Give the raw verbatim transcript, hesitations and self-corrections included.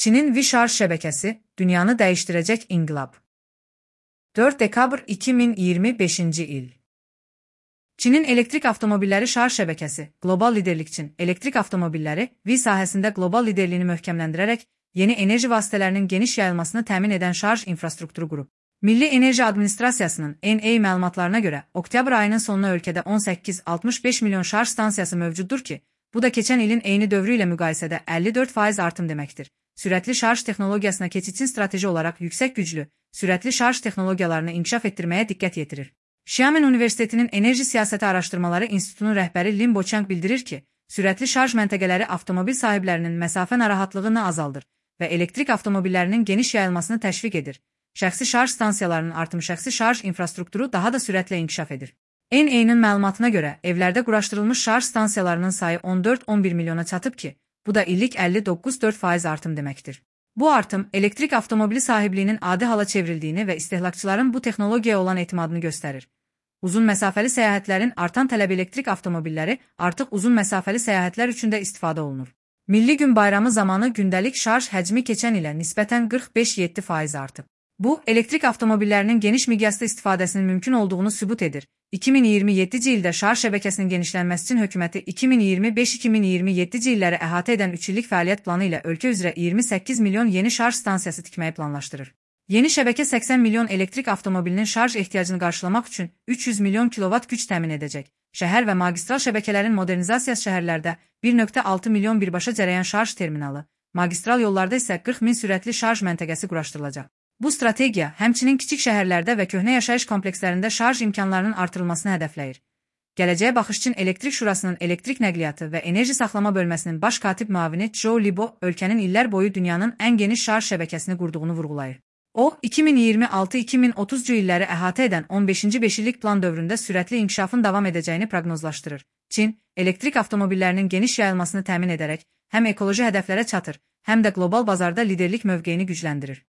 Çinin V şarj şebekesi, dünyanı değiştirecek inqilab. dörd dekabr iki min iyirmi beşinci il. Çinin elektrik avtomobilləri şarj şəbəkəsi, qlobal liderlik üçün elektrik avtomobilləri V sahəsində qlobal liderliyini möhkəmləndirərək, yeni enerji vasitələrinin geniş yayılmasını təmin edən şarj infrastrukturu qurub. Milli Enerji Administrasiyasının N A məlumatlarına görə, oktyabr ayının sonuna ölkədə on səkkiz altmış beş milyon şarj stansiyası mövcuddur ki, bu da keçən ilin eyni dövrü ilə müqayisədə əlli dörd faiz artım deməkdir. Sürətli şarj texnologiyasına keçid üçün strateji olaraq yüksək güclü, sürətli şarj texnologiyalarını inkişaf etdirməyə diqqət yetirir. Xiamen Universitetinin Enerji Siyasəti Araşdırmaları İnstitutunun rəhbəri Lin Bochang bildirir ki, sürətli şarj məntəqələri avtomobil sahiblərinin məsafə narahatlığını azaldır və elektrik avtomobillərinin geniş yayılmasını təşviq edir. Şəxsi şarj stansiyalarının artımı şəxsi şarj infrastrukturu daha da sürətlə inkişaf edir. N A-nın məlumatına görə, evlərdə quraşdırılmış şarj stansiyalarının sayı on dörd on bir milyona çatıb ki, bu da illik əlli doqquz dörd faiz artım deməkdir. Bu artım, elektrik avtomobili sahibliyinin adi hala çevrildiyini və istehlakçıların bu texnologiyaya olan etimadını göstərir. Uzun məsafəli səyahətlərin artan tələb elektrik avtomobilləri artıq uzun məsafəli səyahətlər üçün də istifadə olunur. Milli Gün bayramı zamanı gündəlik şarj həcmi keçən ilə nisbətən qırx beş yeddi faiz artıb. Bu, elektrik avtomobillərinin geniş miqyasda istifadəsinin mümkün olduğunu sübut edir. iki min iyirmi yeddinci ildə şarj şəbəkəsinin genişlənməsi üçün hökuməti iki min iyirmi beş iki min iyirmi yeddinci illəri əhatə edən üç illik fəaliyyət planı ilə ölkə üzrə iyirmi səkkiz milyon yeni şarj stansiyası tikməyi planlaşdırır. Yeni şəbəkə səksən milyon elektrik avtomobilinin şarj ehtiyacını qarşılamaq üçün üç yüz milyon kilovat güc təmin edəcək. Şəhər və magistral şəbəkələrin modernizasiyası şəhərlərdə bir nöqtə altı milyon birbaşa cərəyan şarj terminalı, magistral yollarda isə qırx min sürətli şarj məntəqəsi quraşdırılacaq. Bu strategiya həmçinin kiçik şəhərlərdə və köhnə yaşayış komplekslərində şarj imkanlarının artırılmasını hədəfləyir. Gələcəyə baxış üçün Elektrik Şurasının elektrik nəqliyyatı və enerji saxlama bölməsinin baş katib müavini Zhou Libo ölkənin illər boyu dünyanın ən geniş şarj şəbəkəsini qurduğunu vurğulayır. O, iki min iyirmi altı iki min otuzcu illəri əhatə edən on beşinci beşillik plan dövründə sürətli inkişafın davam edəcəyini proqnozlaşdırır. Çin, elektrik avtomobillərinin geniş yayılmasını təmin edərək həm ekoloji hədəflərə çatır, həm də qlobal bazarda liderlik mövqeyini gücləndirir.